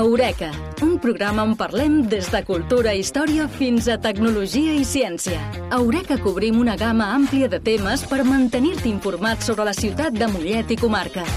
Eureka, un programa on parlem des de cultura i història fins a tecnologia i ciència. A Eureka cobrim una gamma àmplia de temes per mantenir-te informat sobre la ciutat de Mollet i comarca.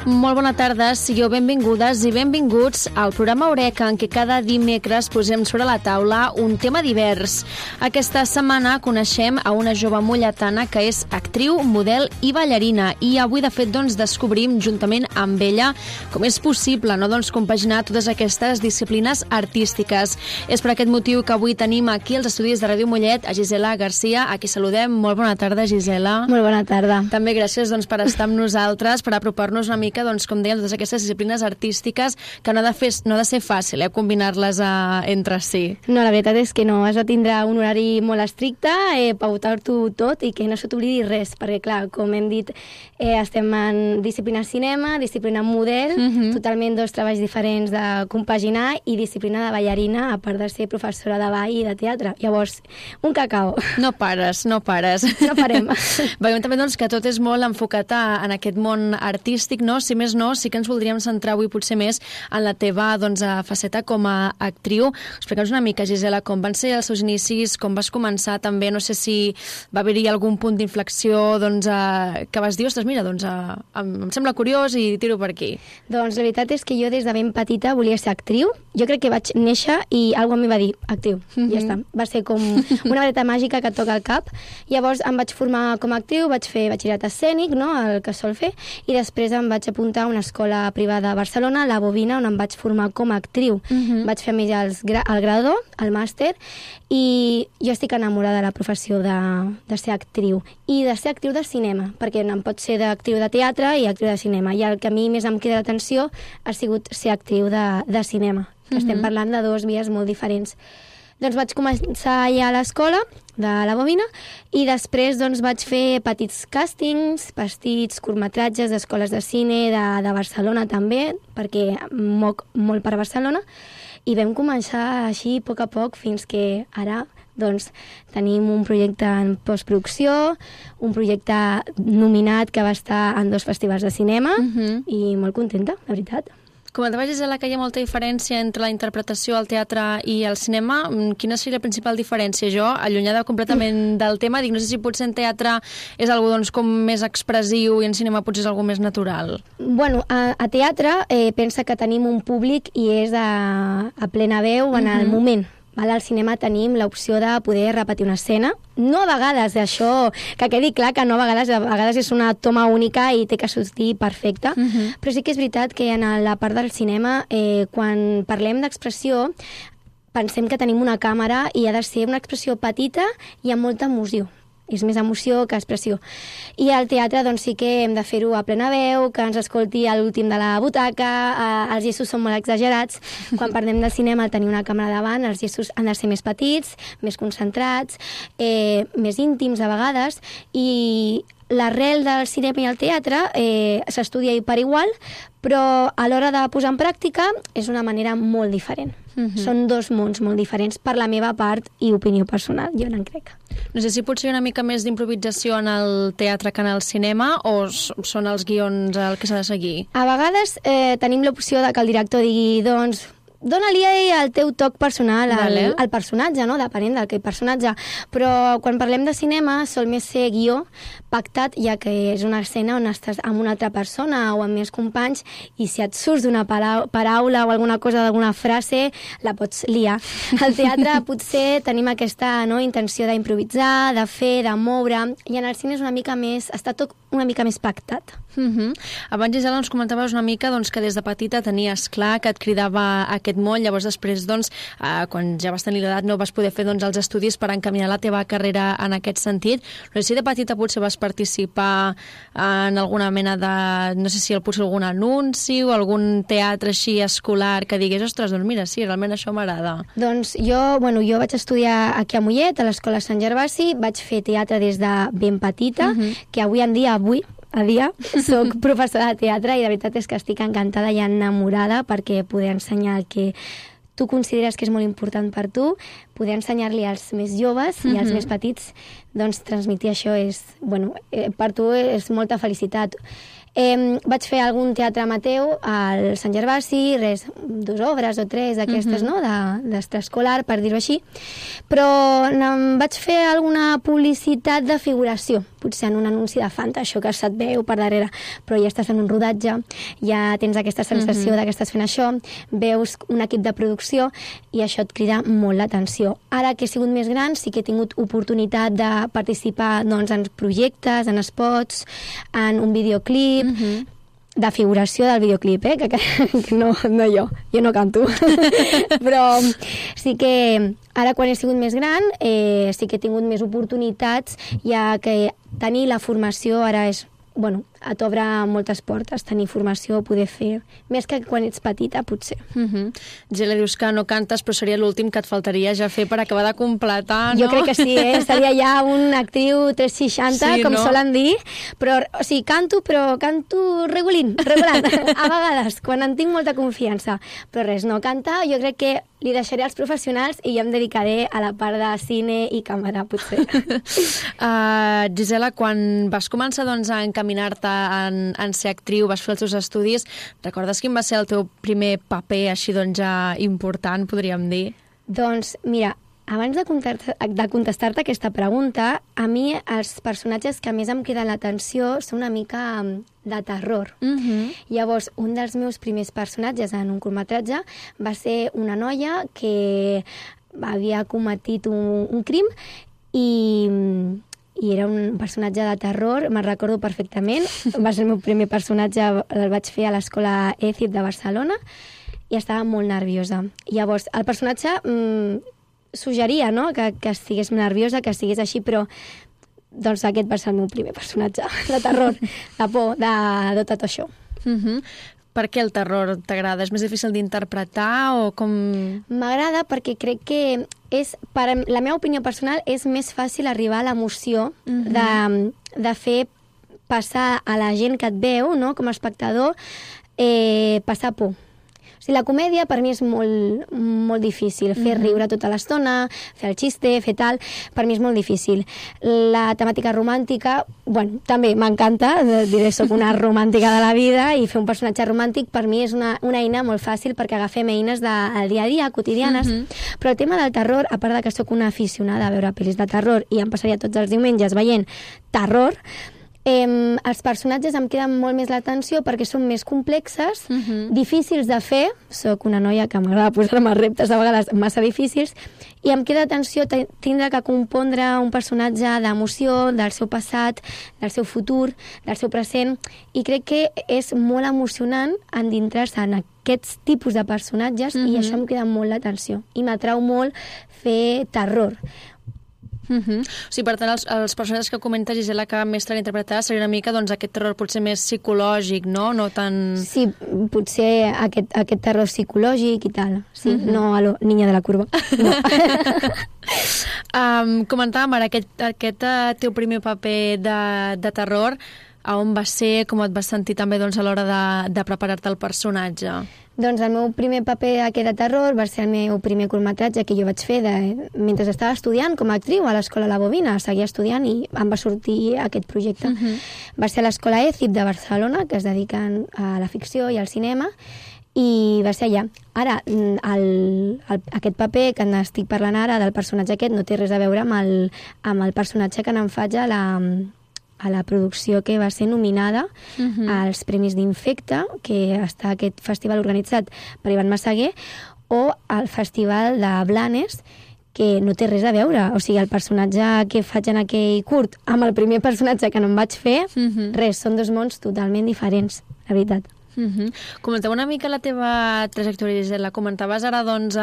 Molt bona tarda, sigueu benvingudes i benvinguts al programa Eureka, en què cada dimecres posem sobre la taula un tema divers. Aquesta setmana coneixem a una jove molletana que és actriu, model i ballarina, i avui de fet descobrim juntament amb ella com és possible compaginar totes aquestes disciplines artístiques. És per aquest motiu que avui tenim aquí als estudis de Ràdio Mollet a Gisela Garcia, a qui saludem. Molt bona tarda, Gisela. Molt bona tarda. També gràcies per estar amb nosaltres, per apropar-nos una mica, com dèiem, totes aquestes disciplines artístiques que no ha de ser fàcil, combinar-les entre si. No, la veritat és que no, has de tindre un horari molt estricte, pautar-t'ho tot i que no se t'oblidi res, perquè clar, com hem dit, estem en disciplina cinema, disciplina model, totalment dos treballs diferents de compaginar, i disciplina de ballarina, a part de ser professora de ball i de teatre. Llavors, un cacao. No pares. No parem. Veiem també que tot és molt enfocat en aquest món artístic, no? Si més no, sí que ens voldríem centrar avui potser més en la teva faceta com a actriu. Explica'ns una mica, Gisela, com van ser els seus inicis, com vas començar també, no sé si va haver-hi algun punt d'inflexió que vas dir, ostres, mira, em sembla curiós i tiro per aquí. Doncs la veritat és que jo des de ben petita volia ser actriu. Jo crec que vaig néixer i algú a mi va dir, actriu, ja està. Va ser com una vareta màgica que et toca al cap. Llavors em vaig formar com a actriu, vaig fer batxillerat escènic, no?, el que sol fer, i després em vaig apuntar a una escola privada a Barcelona, la Bobina, on em vaig formar com a actriu. Vaig fer a més el grado, el màster, i jo estic enamorada de la professió de ser actriu i de ser actriu de cinema, perquè em pot ser d'actriu de teatre i actriu de cinema, i el que a mi més em queda l'atenció ha sigut ser actriu de cinema, que estem parlant de dues vies molt diferents. Doncs vaig començar ja a l'escola de la Bobina i després vaig fer petits càstings, petits curtmetratges d'escoles de cine de Barcelona també, perquè moc molt per Barcelona, i vam començar així a poc fins que ara tenim un projecte en postproducció, un projecte nominat que va estar en 2 festivals de cinema i molt contenta, la veritat. Comentaves, Gisela, que hi ha molta diferència entre la interpretació al teatre i al cinema. Quina seria la principal diferència? Jo, allunyada completament del tema, dic, no sé si potser en teatre és algo com més expressiu i en cinema potser és algo més natural. Bueno, a teatre pensa que tenim un públic i és a plena veu en el moment. Al cinema tenim l'opció de poder repetir una escena. No a vegades, això, que quedi clar que no a vegades és una toma única i té que sortir perfecta, però sí que és veritat que en la part del cinema, quan parlem d'expressió, pensem que tenim una càmera i ha de ser una expressió petita i amb molta emoció. És més emoció que expressió. I al teatre sí que hem de fer-ho a plena veu, que ens escolti a l'últim de la butaca, els gestos són molt exagerats. Quan parlem del cinema, al tenir una càmera davant, els gestos han de ser més petits, més concentrats, més íntims a vegades, i l'arrel del cinema i el teatre s'estudia per igual, però a l'hora de posar en pràctica és una manera molt diferent. Són 2 mons molt diferents per la meva part i opinió personal, jo n'en crec. No sé si potser hi ha una mica més d'improvisació en el teatre que en el cinema, o són els guions el que s'ha de seguir? A vegades tenim l'opció de que el director digui, dóna-li el teu toc personal al personatge, no? Depenent del personatge. Però quan parlem de cinema sol més ser guió pactat, ja que és una escena on estàs amb una altra persona o amb més companys, i si et surts d'una paraula o alguna cosa, d'alguna frase, la pots liar. Al teatre potser tenim aquesta intenció d'improvisar, de fer, de moure, i en el cine és està tot una mica més pactat. Abans, Gisela, ens comentaves una mica que des de petita tenies clar que et cridava aquest món, llavors després, quan ja vas tenir l'edat, no vas poder fer els estudis per encaminar la teva carrera en aquest sentit. No sé si de petita potser vas participar en alguna mena de, no sé si potser algun anunci o algun teatre així escolar que digués, ostres, mira, sí, realment això m'agrada. Doncs jo vaig estudiar aquí a Mollet, a l'Escola Sant Gervasi, vaig fer teatre des de ben petita, que avui en dia, soc professora de teatre i la veritat és que estic encantada i enamorada perquè poder ensenyar el que tu consideres que és molt important per tu, poder ensenyar-li als més joves i als més petits, transmetre això és, per tu és molta felicitat. Vaig fer algun teatre amateur al Sant Gervasi, 2 obres o 3 d'aquestes, no?, d'extraescolar, per dir-ho així, però vaig fer alguna publicitat de figuració, potser en un anunci de Fanta, això que se't veu per darrere, però ja estàs en un rodatge, ja tens aquesta sensació de que estàs fent això, veus un equip de producció i això et crida molt l'atenció. Ara que he sigut més gran sí que he tingut oportunitat de participar, doncs, en projectes, en spots, en un videoclip, de figuració del videoclip, que no jo no canto. Però sí que ara, quan he sigut més gran, sí que he tingut més oportunitats, ja que tenir la formació ara és, bueno, et obre moltes portes, tenir formació, poder fer, més que quan ets petita, potser. Gela, dius que no cantes, però seria l'últim que et faltaria ja fer per acabar de completar, no? Jo crec que sí, seria ja una actriu 360, com solen dir, però, o sigui, canto regulant, a vegades, quan en tinc molta confiança. Però res, no cantar, jo crec que li deixaré als professionals i jo em dedicaré a la part de cine i càmera, potser. Gisela, quan vas començar, doncs, a encaminar-te en ser actriu, vas fer els teus estudis, recordes quin va ser el teu primer paper així, doncs, ja important, podríem dir? Doncs, mira, abans de contestar-te aquesta pregunta, a mi els personatges que més em criden l'atenció són una mica de terror. Llavors, un dels meus primers personatges en un curtmetratge va ser una noia que havia cometit un crim i era un personatge de terror, me'n recordo perfectament. Va ser el meu primer personatge, el vaig fer a l'escola ECIP de Barcelona i estava molt nerviosa. Llavors, el personatge suggeria, no?, que estigués nerviosa, que estigués així, però doncs aquest va ser el meu primer personatge de terror, de por, de tot això. Per què el terror t'agrada? És més difícil d'interpretar o com...? M'agrada perquè crec que per la meva opinió personal, és més fàcil arribar a l'emoció de fer passar a la gent que et veu, no?, com a espectador, passar por. O sigui, la comèdia per mi és molt difícil. Fer riure tota l'estona, fer el xiste, fer tal, per mi és molt difícil. La temàtica romàntica, bueno, també m'encanta, diré, soc una romàntica de la vida i fer un personatge romàntic per mi és una eina molt fàcil perquè agafem eines del dia a dia, quotidianes. Però el tema del terror, a part de que soc una aficionada a veure pel·lis de terror i em passaria tots els diumenges veient terror, els personatges em criden molt més l'atenció perquè són més complexes, difícils de fer. Soc una noia que m'agrada posar-me reptes a vegades massa difícils i em crida atenció tindre que compondre un personatge d'emoció, del seu passat, del seu futur, del seu present, i crec que és molt emocionant endintrar-se en aquests tipus de personatges i això em crida molt l'atenció i m'atrau molt fer terror. O sigui, per tant, els personatges que comenta Gisela que més t'han interpretat seria una mica, doncs, aquest terror potser més psicològic, no? No tan... Sí, potser aquest terror psicològic i tal. Sí, no a lo niña de la curva. No. Comentàvem ara aquest teu primer paper de terror, a on va ser, com et vas sentir també, doncs, a l'hora de preparar-te el personatge? Doncs el meu primer paper aquest de terror va ser el meu primer curtmetratge que jo vaig fer mentre estava estudiant com a actriu a l'Escola La Bobina. Seguia estudiant i em va sortir aquest projecte. Va ser a l'Escola ECIP de Barcelona, que es dediquen a la ficció i al cinema, i va ser allà. Ara, aquest paper que n'estic parlant ara, del personatge aquest, no té res a veure amb el personatge que n'en faig a la producció que va ser nominada als Premis d'Infecte, que està aquest festival organitzat per Ivan Massaguer, o al Festival de Blanes, que no té res a veure. O sigui, el personatge que faig en aquell curt amb el primer personatge que no em vaig fer, res, són dos mons totalment diferents, la veritat. Comenteu una mica la teva trajectòria, Gisela. Comentaves ara, doncs,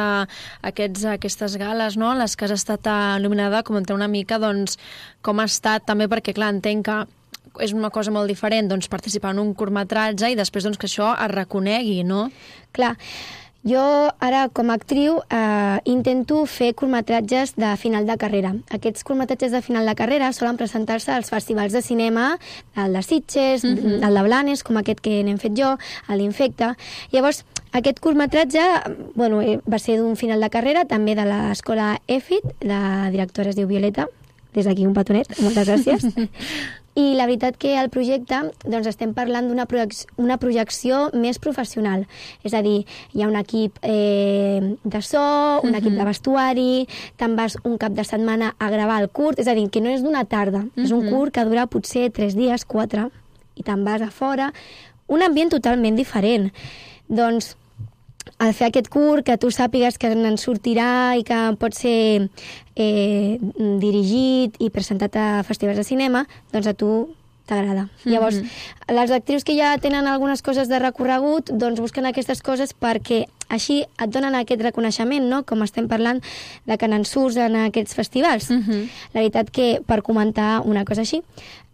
aquestes gales, no?, en les que has estat nominada. Comenteu una mica, doncs, com ha estat també, perquè, clar, entenc que és una cosa molt diferent, doncs, participar en un curtmetratge i després, doncs, que això es reconegui, no? Clar. Jo ara, com a actriu, intento fer curtmetratges de final de carrera. Aquests curtmetratges de final de carrera solen presentar-se als festivals de cinema, el de Sitges, el de Blanes, com aquest que n'hem fet jo, a l'Infecte. Llavors, aquest curtmetratge va ser d'un final de carrera, també de l'escola EFIT, la directora es diu Violeta, des d'aquí un petonet, moltes gràcies. I la veritat que al projecte doncs, estem parlant d'una projecció més professional. És a dir, hi ha un equip de so, un equip de vestuari, te'n vas un cap de setmana a gravar el curt, és a dir, que no és d'una tarda, és un curt que dura potser 3 dies, 4, i te'n vas a fora. Un ambient totalment diferent. Doncs, al fer aquest curt, que tu sàpigues que en sortirà i que pot ser dirigit i presentat a festivals de cinema, doncs a tu t'agrada. Llavors, les actrius que ja tenen algunes coses de recorregut, doncs busquen aquestes coses perquè així et donen aquest reconeixement, no? Com estem parlant de que n'en surts en aquests festivals. La veritat que, per comentar una cosa així,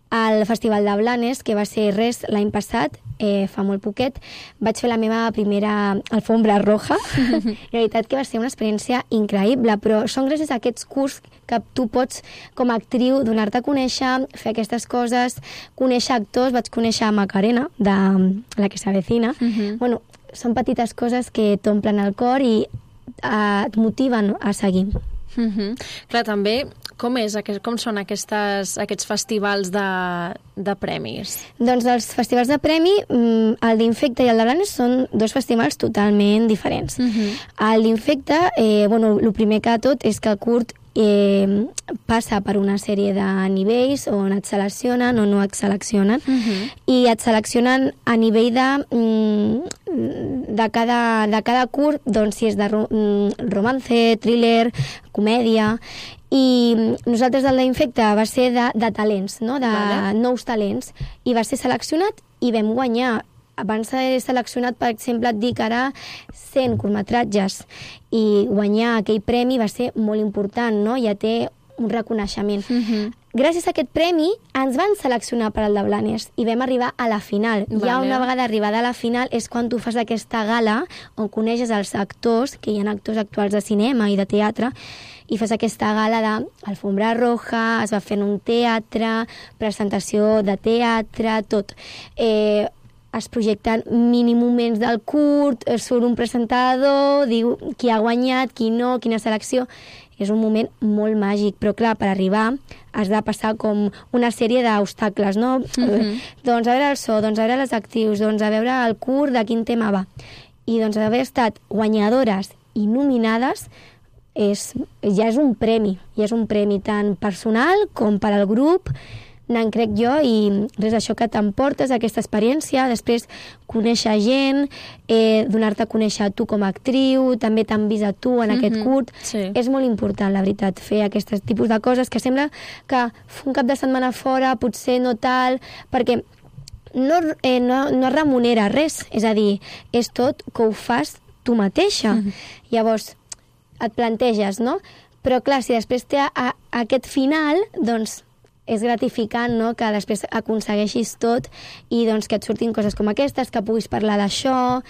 al Festival de Blanes, que va ser res l'any passat, fa molt poquet, vaig fer la meva primera alfombra roja. La veritat que va ser una experiència increïble, però són gràcies a aquests cursos que tu pots, com a actriu, donar-te a conèixer, fer aquestes coses, conèixer actors. Vaig conèixer a Macarena, de La que s'avecina. Bueno, són petites coses que t'omplen el cor i et motiven a seguir. Clar, també, com són aquests festivals de premis? Doncs els festivals de premi, el d'Infecta i el de Blanes són 2 festivals totalment diferents. El d'Infecta, el primer que tot és que el curt passa per una sèrie de nivells on et seleccionen o no et seleccionen, i et seleccionen a nivell de cada curt, doncs si és de romance, thriller, comèdia. I nosaltres el d'Infecta va ser de talents, no? De nous talents, i va ser seleccionat i vam guanyar. Abans de ser seleccionat, per exemple, et dic ara 100 curtmetratges, i guanyar aquell premi va ser molt important, no? Ja té un reconeixement. Gràcies a aquest premi ens van seleccionar per al de Blanes i vam arribar a la final. Ja una vegada arribada a la final és quan tu fas aquesta gala on coneixes els actors, que hi ha actors actuals de cinema i de teatre, i fas aquesta gala d'alfombra roja, es va fer en un teatre, presentació de teatre, tot. Es projecten mini moments del curt, surt un presentador, diu qui ha guanyat, qui no, quina selecció. És un moment molt màgic, però clar, per arribar has de passar com una sèrie d'obstacles, no? Doncs a veure el so, doncs a veure les actrius, doncs a veure el curt de quin tema va. I doncs haver estat guanyadores i nominades ja és un premi tant personal com per al grup. N'en crec jo, i res, això que t'emportes, aquesta experiència, després conèixer gent, donar-te a conèixer a tu com a actriu, també t'han vist a tu en aquest curt. És molt important, la veritat, fer aquests tipus de coses que sembla que un cap de setmana fora potser no tal, perquè no es remunera res, és a dir, és tot que ho fas tu mateixa. Llavors, et planteges, no? Però clar, si després té aquest final, doncs és gratificant, no?, que després aconsegueixis tot i doncs que et surtin coses com aquestes, que puguis parlar d'això.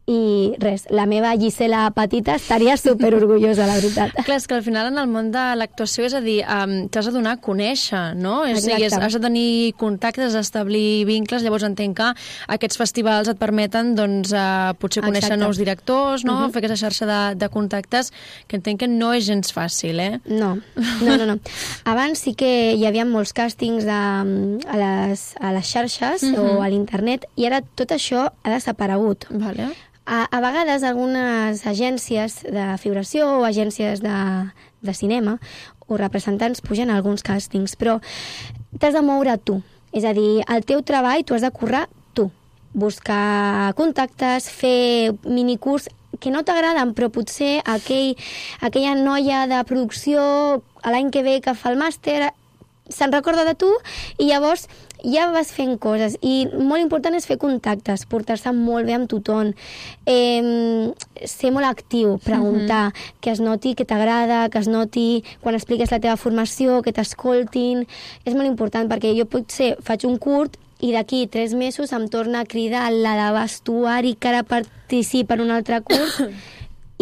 I res, la meva Gisela petita estaria superorgullosa, la veritat. Clar, és que al final en el món de l'actuació, és a dir, t'has de donar a conèixer, no? És a dir, has de tenir contactes, establir vincles, llavors entenc que aquests festivals et permeten, doncs, potser conèixer nous directors, no? Fer aquesta xarxa de contactes, que entenc que no és gens fàcil, eh? No. Abans sí que hi havia molts càstings a les xarxes o a l'internet, i ara tot això ha desaparegut. Vale. A vegades algunes agències de figuració o agències de cinema o representants pugen a alguns càstings, però t'has de moure tu. És a dir, el teu treball tu has de currar tu. Buscar contactes, fer minicurs que no t'agraden, però potser aquella noia de producció l'any que ve que fa el màster se'n recorda de tu i llavors ja vas fent coses. I molt important és fer contactes, portar-se molt bé amb tothom, ser molt actiu, preguntar, que es noti que t'agrada, que es noti quan expliques la teva formació, que t'escoltin. És molt important perquè jo potser faig un curt i d'aquí 3 mesos em torna a cridar la de vestuari que ara participa en un altre curt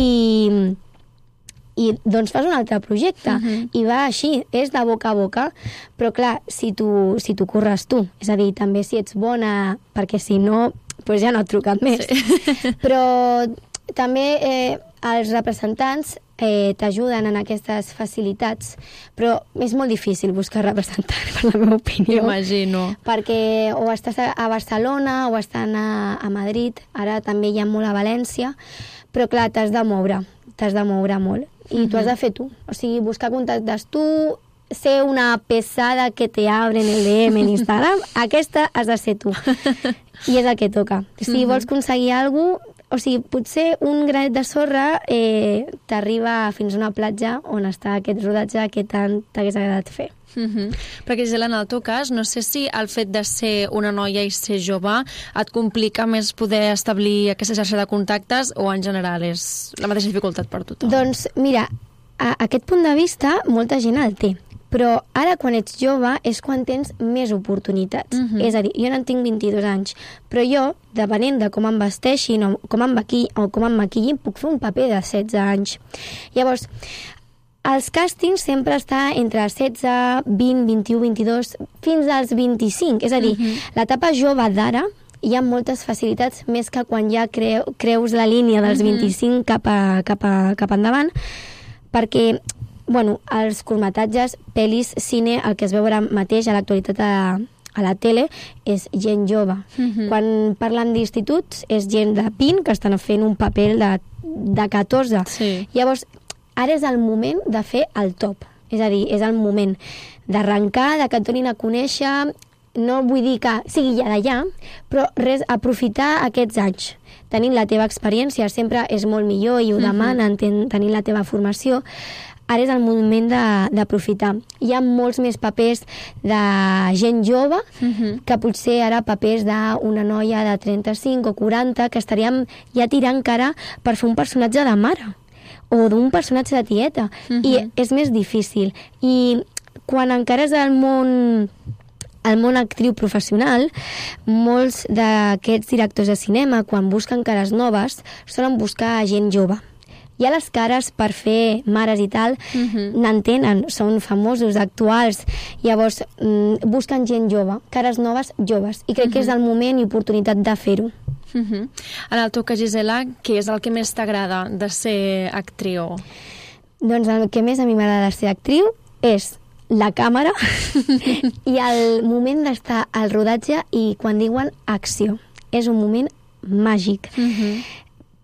i doncs fas un altre projecte i va així, és de boca a boca, però clar, si tu curres tu, és a dir, també si ets bona, perquè si no doncs ja no et truquen més, però també els representants t'ajuden en aquestes facilitats, però és molt difícil buscar representants, per la meva opinió. Imagino. Perquè o estàs a Barcelona o estan a Madrid, ara també hi ha molt a València, però clar, t'has de moure molt. I t'ho has de fer tu. O sigui, buscar contactes tu, ser una pesada que te abren el DM en Instagram, aquesta has de ser tu. I és el que toca. Si vols aconseguir alguna cosa, o sigui, potser un granet de sorra t'arriba fins a una platja on està aquest rodatge que tant t'hagués agradat fer. Perquè, Gisela, en el teu cas, no sé si el fet de ser una noia i ser jove et complica més poder establir aquesta xarxa de contactes o en general és la mateixa dificultat per tothom? Doncs mira, a aquest punt de vista molta gent el té, però ara quan ets jove és quan tens més oportunitats. És a dir, jo no en tinc 22 anys, però jo, depenent de com em vesteixin o com em maquillin, puc fer un paper de 16 anys. Llavors, els càstings sempre està entre 16, 20, 21, 22, fins als 25. És a dir, l'etapa jove d'ara hi ha moltes facilitats, més que quan ja creus la línia dels 25 cap endavant, perquè els curtmetratges, pel·lis, cine, el que es veu ara mateix a l'actualitat a la tele és gent jove. Quan parlen d'instituts és gent de 20 que estan fent un paper de 14. Sí. Llavors, ara és el moment de fer el top. És a dir, és el moment d'arrencar, de que et donin a conèixer. No vull dir que sigui ja d'allà, però aprofitar aquests anys. Tenint la teva experiència sempre és molt millor i ho demanen, tenint la teva formació. Ara és el moment d'aprofitar. Hi ha molts més papers de gent jove que potser ara papers d'una noia de 35 o 40 que estaríem ja tirant cara per fer un personatge de mare o d'un personatge de tieta. I és més difícil. I quan encara és el món actriu professional, molts d'aquests directors de cinema, quan busquen cares noves, solen buscar gent jove. Ja les cares per fer mares i tal n'entenen, són famosos, actuals, llavors busquen gent jove, cares noves, joves, i crec que és el moment i oportunitat de fer-ho. En el teu cas, Gisela, què és el que més t'agrada de ser actriu? Doncs el que més a mi m'agrada de ser actriu és la càmera i el moment d'estar al rodatge i quan diuen acció. És un moment màgic.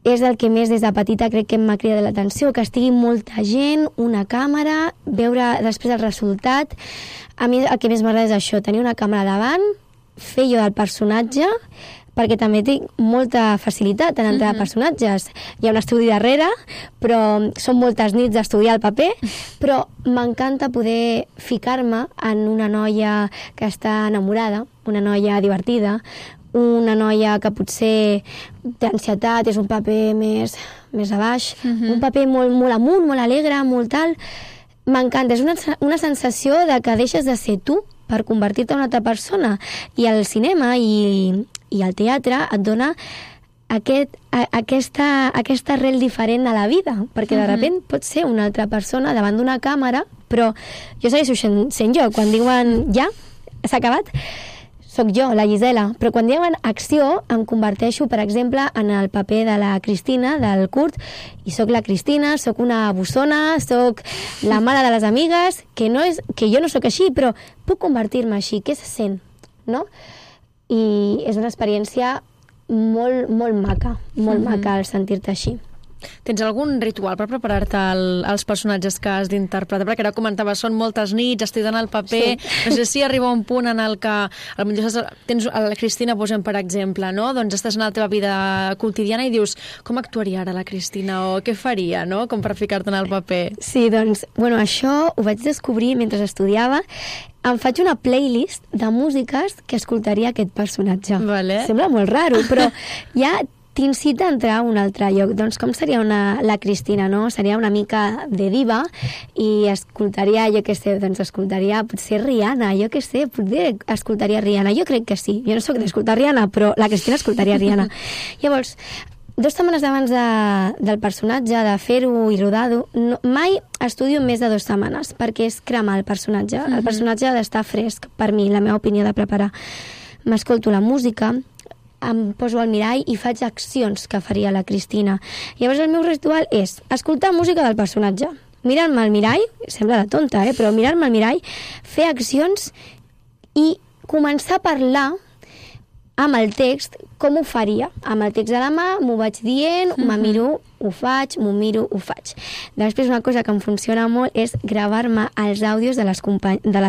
És el que més des de petita crec que m'ha cridat l'atenció, que estigui molta gent, una càmera, veure després el resultat. A mi el que més m'agrada és això, tenir una càmera davant, fer jo del personatge, perquè també tinc molta facilitat en entrar a personatges. Hi ha un estudi darrere, però són moltes nits d'estudiar el paper, però m'encanta poder ficar-me en una noia que està enamorada, una noia divertida, una noia que potser té ansietat, és un paper més a baix, un paper molt amunt, molt alegre, molt tal. M'encanta, és una sensació de que deixes de ser tu per convertir-te en una altra persona. I el cinema i el teatre et dona aquesta arrel diferent a la vida, perquè de sobte pots ser una altra persona davant d'una càmera, però jo segueixo sent jo. Quan diuen ja, s'ha acabat, soc jo, la Gisela, però quan diuen acció em converteixo, per exemple, en el paper de la Cristina, del Kurt, i soc la Cristina, soc una bussona, soc la mare de les amigues, que jo no soc així, però puc convertir-me així, què se sent, no? I és una experiència molt maca, molt maca el sentir-te així. Tens algun ritual per preparar-te als personatges que has d'interpretar? Perquè ara comentaves, són moltes nits, estudiant el paper, no sé si arriba un punt en el que tens la Cristina, posem per exemple, no? Doncs estàs en la teva vida quotidiana i dius, com actuaria ara la Cristina o què faria, no? Com per ficar-te en el paper. Sí, doncs, això ho vaig descobrir mentre estudiava. Em faig una playlist de músiques que escoltaria aquest personatge. Vale. Sembla molt raro, però ja t'incita a entrar a un altre lloc. Doncs com seria la Cristina, no? Seria una mica de diva i escoltaria, escoltaria potser Rihanna, potser escoltaria Rihanna. Jo crec que sí. Jo no soc d'escoltar Rihanna, però la Cristina escoltaria Rihanna. Llavors, 2 setmanes abans del personatge, de fer-ho i rodar-ho, mai estudio més de 2 setmanes, perquè és cremar el personatge. El personatge ha d'estar fresc, per mi, la meva opinió de preparar. M'escolto la música, em poso al mirall i faig accions que faria la Cristina. Llavors el meu ritual és escoltar música del personatge, mirar-me al mirall, sembla de tonta, però mirar-me al mirall, fer accions i començar a parlar amb el text com ho faria. Amb el text a la mà m'ho vaig dient, me miro, ho faig, m'ho miro, ho faig. Després una cosa que em funciona molt és gravar-me els àudios de les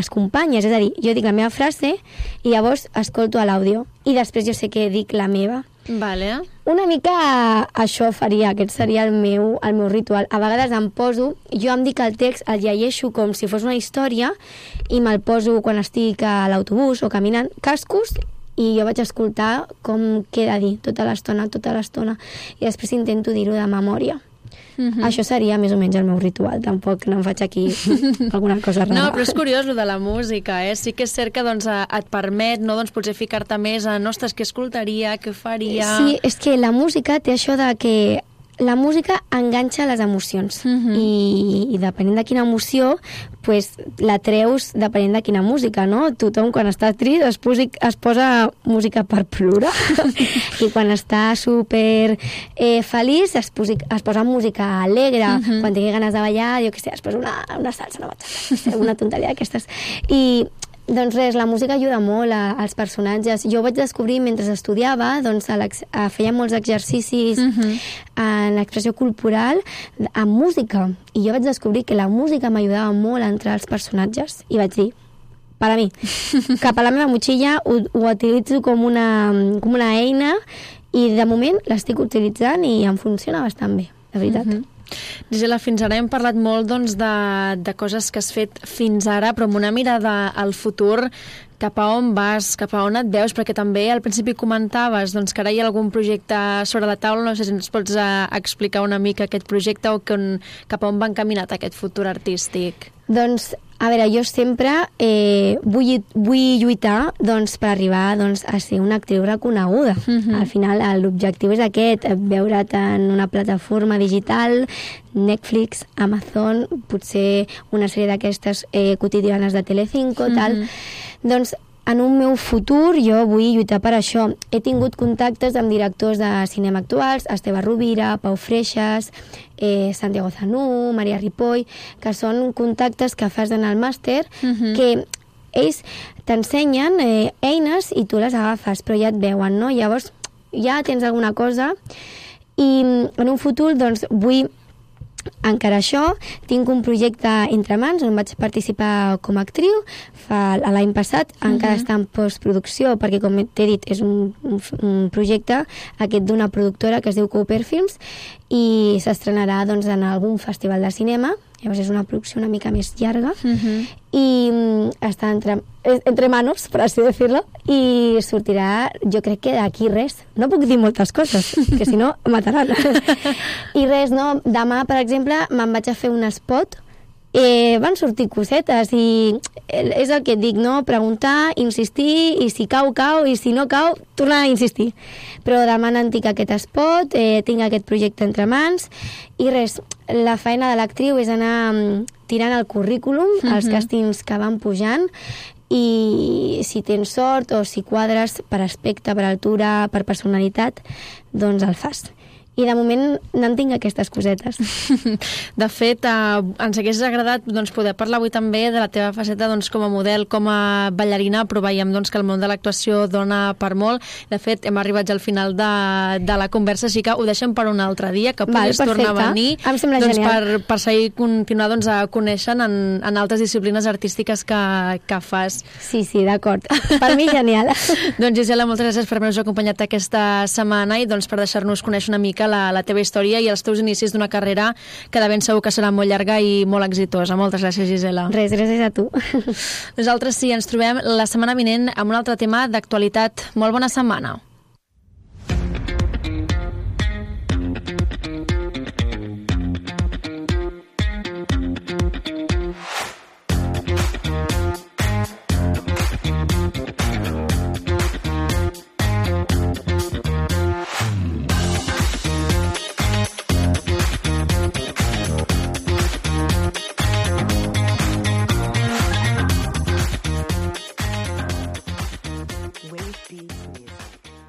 companyes. És a dir, jo dic la meva frase i llavors escolto l'àudio. I després jo sé que dic la meva. Vale. Una mica això faria, aquest seria el meu ritual. A vegades em poso, jo em dic el text, el llegeixo com si fos una història i me'l poso quan estic a l'autobús o caminant, cascos, i jo vaig escoltar com queda dir tota l'estona, i després intento dir-ho de memòria. Això seria més o menys el meu ritual, tampoc no em faig aquí alguna cosa rara. No, però és curiós lo de la música, Sí que és cert que et permet, no, doncs, potser ficar-te més en, ostres, què escoltaria, què faria... Sí, és que la música té això de que la música enganxa les emocions i depenent de quina emoció pues, la treus depenent de quina música, no? Tothom quan està trist es posa música per plorar i quan està super feliç es posa música alegre, quan tingui ganes de ballar, jo què sé, es posa una salsa, una bachata, una tonteria d'aquestes. I doncs res, la música ajuda molt als personatges. Jo ho vaig descobrir mentre estudiava, doncs feia molts exercicis en l'expressió corporal amb música. I jo vaig descobrir que la música m'ajudava molt a entrar als personatges. I vaig dir, per a mi, cap a la meva motxilla ho utilitzo com una eina i de moment l'estic utilitzant i em funciona bastant bé, de veritat. Gisela, fins ara hem parlat molt doncs, de coses que has fet fins ara, però amb una mirada al futur, cap a on vas, cap a on et veus, perquè també al principi comentaves doncs, que ara hi ha algun projecte sobre la taula, no sé si ens pots explicar una mica aquest projecte o cap a on va encaminat aquest futur artístic. Doncs, a veure, jo sempre vull lluitar doncs, per arribar doncs, a ser una actriu reconeguda. Al final, l'objectiu és aquest, veure't en una plataforma digital, Netflix, Amazon, potser una sèrie d'aquestes quotidianes de Telecinco, tal. Doncs, en un meu futur jo vull lluitar per això. He tingut contactes amb directors de cinema actuals, Esteve Rovira, Pau Freixas, Santiago Zanú, Maria Ripoll, que són contactes que fas en el màster, que ells t'ensenyen eines i tu les agafes, però ja et veuen, no? Llavors ja tens alguna cosa i en un futur doncs vull encara això, tinc un projecte entre mans on vaig participar com a actriu l'any passat, encara està en postproducció perquè com t'he dit és un projecte aquest d'una productora que es diu Cooper Films i s'estrenarà doncs, en algun festival de cinema. Llavors és una producció una mica més llarga i està entre manos, per així dir-ho, i sortirà, jo crec que d'aquí res. No puc dir moltes coses, que si no mataran. I res, no? Demà, per exemple, me'n vaig a fer un spot, van sortir cosetes i és el que et dic, no? Preguntar, insistir, i si cau, cau, i si no cau, tornar a insistir. Però demà n'en tinc aquest spot, tinc aquest projecte entre mans, i res, la feina de l'actriu és anar tirant el currículum, els càstings que van pujant, i si tens sort o si quadres per aspecte, per altura, per personalitat, doncs el fas. I de moment n'en tinc aquestes cosetes. De fet, ens hagués agradat doncs, poder parlar avui també de la teva faceta doncs, com a model, com a ballarina, però veiem doncs, que el món de l'actuació dona per molt. De fet, hem arribat al final de la conversa, així que ho deixem per un altre dia, que puguis tornar a venir doncs, per seguir continuar doncs, a conèixer en altres disciplines artístiques que fas. Sí, d'acord. Per mi, genial. Doncs, Gisela, moltes gràcies per haver-nos acompanyat aquesta setmana i doncs, per deixar-nos conèixer una mica la teva història i els teus inicis d'una carrera que de ben segur que serà molt llarga i molt exitosa. Moltes gràcies, Gisela. Res, gràcies a tu. Nosaltres sí, ens trobem la setmana vinent amb un altre tema d'actualitat. Molt bona setmana. Wave Beats Music.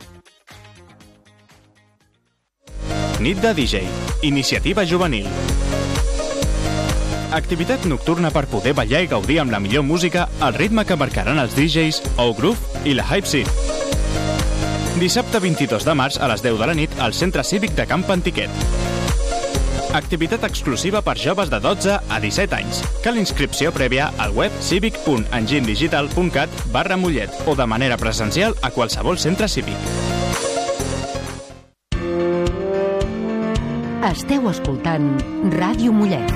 Nit de DJ, iniciativa juvenil. Activitat nocturna per poder ballar i gaudir amb la millor música al ritme que marcaran els DJs, O-Groove i la Hype Seat. Dissabte 22 de març a les 10 de la nit al Centre Cívic de Camp Antiquet. Activitat exclusiva per joves de 12 a 17 anys. Cal inscripció prèvia al web civic.engindigital.cat/Mollet o de manera presencial a qualsevol centre cívic. Esteu escoltant Ràdio Mollet.